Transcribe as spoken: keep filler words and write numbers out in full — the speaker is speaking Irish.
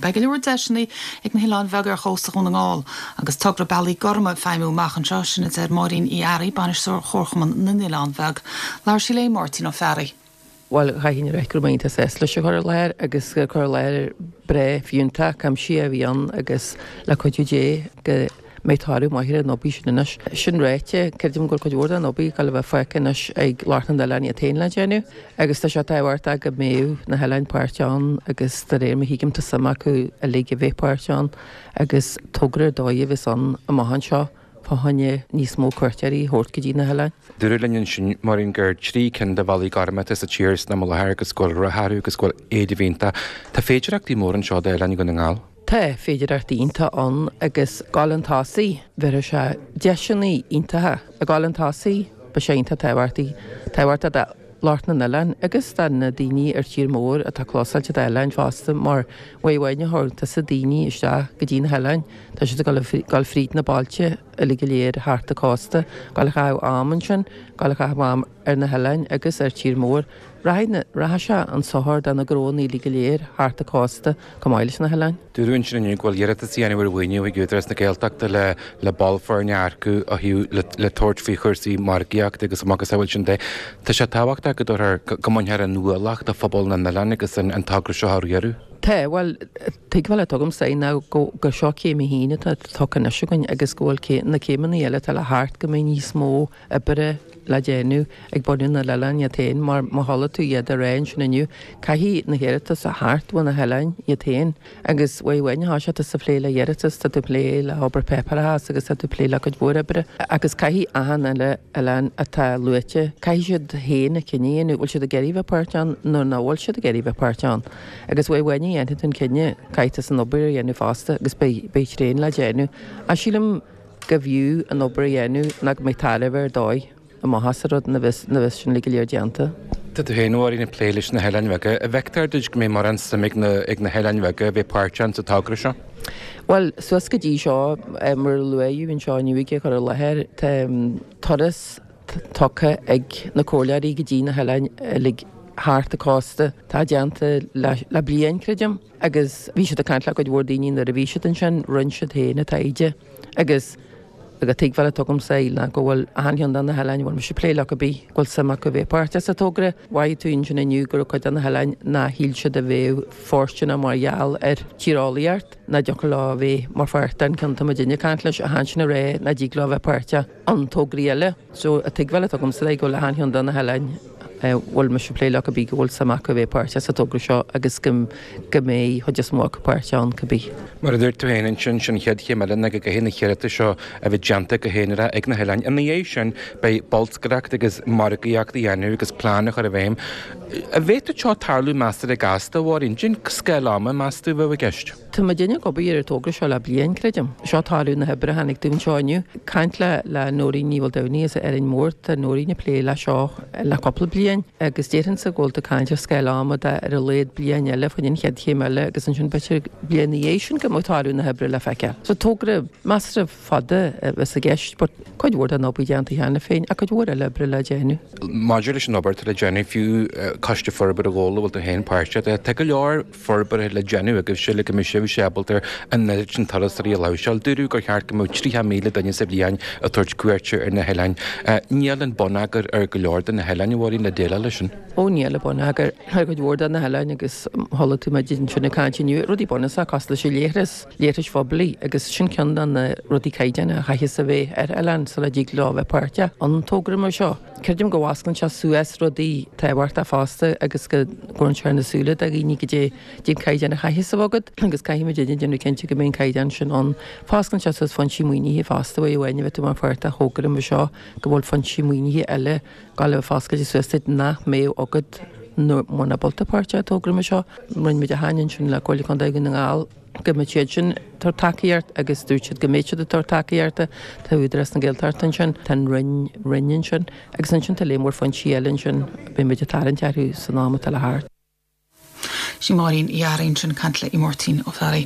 Beidh go leor deiseanna ag na hoileáin bheaga ar chósta Dhún na nGall agus togra Bealaí Gorma ag feidhmiú amach anseo sin a deir Máirín Uí Fhearraigh bainisteoir Chomharchumann na nOileán Beag. Labhair sí le Máirtín Ó Fearraigh. Well chaithfinn a rá go raibh mé sásta leis an chur i láthair agus gur cur i láthair breá fiúntach cuimsitheach a bhí ann agus le cuidiú Dé go mbeidh toradh maith ar an obair sin anois. Sin ráite creidim go bhfuil cuid mhór den obair ag gabháil a bheith fágtha anois ag lucht na n-oileán iad féin le déanamh, agus tá sé tábhachtach go mbeadh na hoileáin páirteach ann agus de réir mar a thuigim tá suim acu uilig a bheith páirteach ann agus togra ar dóigh a bheas ann amach anseo fá choinne níos mó cuairteoirí a thabhairt go dtí na hoileáin. Dúradh linn ansin Máirín gur trí cinn de Bhealaí Gorma atá sa tír san am i láthair agus go bhfuil rath orthu agus go bhfuil éileamh iontach. Tá féidearthachtaí móra anseo d'oileáin Dhún na nGall. Tá féidearthachtaí iontacha ann agus gabháil chun tosaigh bhéarfaidh sé deiseanna iontacha ag gabháil chun tosaigh beidh sé iontach tábhachtach tábhachtach do lucht na n-oileán agus do na daoine ar tír mór atá clósáilte d'oileáin fosta mar uair amháin a thabharfaidh tusa daoine isteach go dtí na hoileáin tá siad ag gabháil fríd na bailte uilig go léir thart an cósta, gabháil a chaitheamh am ansin, gabháil a chaitheamh am ar na hoileáin agus ar tír mór. Rachaidh rachaidh sé an sochar do na gnónna uilig go léir thart an cósta chomh maith leis na hoileáin. Dúradh ansin inniu go bhfuil iarratas á dhéanamh ar mhaoiniú ag Údarás na Gaeltachta le le ball foirne a earcú ó thaobh le le tabhairt faoi chúrsaí margaíochta agus macasamhail sin de. Tá sé tábhachtach go dtabharfar go mbainfear an ualach de phobal na n-oileán agus an an togra seo á riaradh. Tá bhuel tuigbheáil atá agamsa ná go gur seo céim a haon atá tugtha anois againn agus go bhfuil na céimeanna eile atá le theacht go mbeidh níos mó oibre le déanamh ag bunadh na n-oileán iad féin mar má chuala tú iad ag rá ansin inniu caithfidh na hiarratais a theacht ó na hoileáin iad féin agus uair amháin atá sé tusa ag plé le hiarratas tá tú ag plé le hobair páipéarachas agus tá tú ag plé le cuid mhór oibre agus caithfidh achan uile oileán atá luaite caithfidh siad féin a chinneadh a dhéanamh bhfuil siad ag iarraidh bheith páirteach ann nó nach bhfuil siad ag iarraidh bheith páirteach ann agus uair amháin a dhéanfaidh tú an cinneadh caithfidh tú an obair a dhéanamh fosta agus beidh beidh tréan le déanamh ach sílim go bhfiú an obair a dhéanamh ná go mbeidh tairbhe ar dóigh amach as an rud nuair a bheas nuair a bheas sin uilig go léir déanta. Tá tú féin a Mháirín ag plé leis na hoileáin bheaga. An bhfeictear duit go mbeidh mórán suim ag na ag na hoileáin bheaga a bheith páirteach sa togra seo? Bhuel, suas go dtí seo, mar a luaíodh anseo inniu ag an chur i láthair, tá turas tugtha ag na comhairleoirí go dtí na hoileáin uilig thart an cósta. Tá déanta le le bliain, creidim, agus bhí siad ag caint le cuid mhór daoine nuair a bhí siad ansin, rinne siad féin an taighde agus an tuigbheáil atá agamsa ná go bhfuil achan cheann de na hoileáin a bhfuil mise ag plé leo cibé, go bhfuil suim acu bheith páirteach sa togra. Mhaígh tú ansin inniu go raibh cuid de na hoileáin nár shíl siad a bheadh fóirsteanach mar gheall ar tíreolaíocht, nach dtiocfadh leo a bheith mar pháirt den ceann atá muidinne ag caint leis, ach ansin ag rá nach dtig leo a bheith páirteach in tograí eile. So an tuigbheáil atá agamsa go bhfuil achan cheann de na hoileáin a bhfuil mise ag plé leo cibé go bhfuil suim acu a bheith páirteach sa togra seo agus go go mbeidh chuid is mó acu páirteach ann cibé. Mar a dúirt tú féin ansin, sin an chéad chéim eile ná go gcaithfidh na hiarratais seo a bheith déanta go haonarach ag na hoileáin. Ina dhiaidh sin, beidh bolscaireacht agus margaíocht a dhéanamh agus plean a chur i bhfeidhm. An bhféadfadh seo tarlú measartha gasta, a Mháirín? Cén scála ama meas tú a bheadh i gceist? Tá muidinne ag obair ar an togra seo le bliain, creidim. Seo toradh na hoibre a tháinig dúinn anseo inniu. Caint le le Nóirín Ní Mhaoldomhnaigh as Árainn Mhór, tá Nóirín ag plé le seo le cúpla bliain agus déarfainnse go bhfuil tú ag caint ar scála ama de ar a laghad bliain eile faoin an chéad chéim eile agus ansin b'fhéidir bliain ina dhiaidh sin go mbeadh toradh na hoibre le feiceáil. So togra measartha fada a bheas i gceist but cuid mhór den obair déanta cheana féin ach cuid mhór eile oibre le déanamh. Maidir leis an obair atá le déanamh, fiú Coiste Forbartha Ghabhla a bhfuil tú féin páirteach de, tá go leor forbartha le déanamh agaibhse le go mbeidh sibhse ábalta an oiread sin turasóirí a láimhseáil. Dúradh gur cheart go mbeadh tríocha míle duine sa bhliain ag tabhairt cuairte ar na hoileáin. Níl an bonneagar ar go leor de na hoileáin, a Mháirín, le déileáil leis sin. Ó níl an bonneagar ar chuid mhór de na hoileáin agus chuala tú muid ansin ag caint inniu, rudaí bunúsacha cosúil leis an leithreas, leithris phoiblí agus sin ceann de na rudaí caighdeánacha a chaithfeas a bheith ar oileán sula dtig leo a bheith páirteach in togra mar seo. Creidim go bhfosclaíonn sé suas rudaí tábhachtacha fosta agus go gcuireann sé ar na súile de dhaoine goidé an caighdeán a chaithfeas a bheith agat agus caithfidh muid déanamh cinnte go mbeidh an caighdeán sin ann. Fosclaíonn sé suas foinsí maoinithe fosta uair amháin a bheith tú mar pháirt de thogra mar seo go bhfuil foinsí maoinithe eile ag gabháil a bheith foscailte suas duit nach mbeadh agat muna bhfuil tú páirteach i dtogra mar seo. Rinne muid aithne ansin le Comhairle Contae Dhún na nGall go mbeadh siad sin ag tabhairt tacaíocht agus dúirt siad go mbeidh siad ag tabhairt tacaíochta. Tá Údarás na Gaeltachta ansin, tá an Roinn Roinn ansin agus ansin tá léar mór foinsí eile ansin beidh muid ag tarraingt orthu san am atá le theacht. Sí Máirín Uí Fhearraigh ansin ag caint le Máirtín Ó Fearraigh.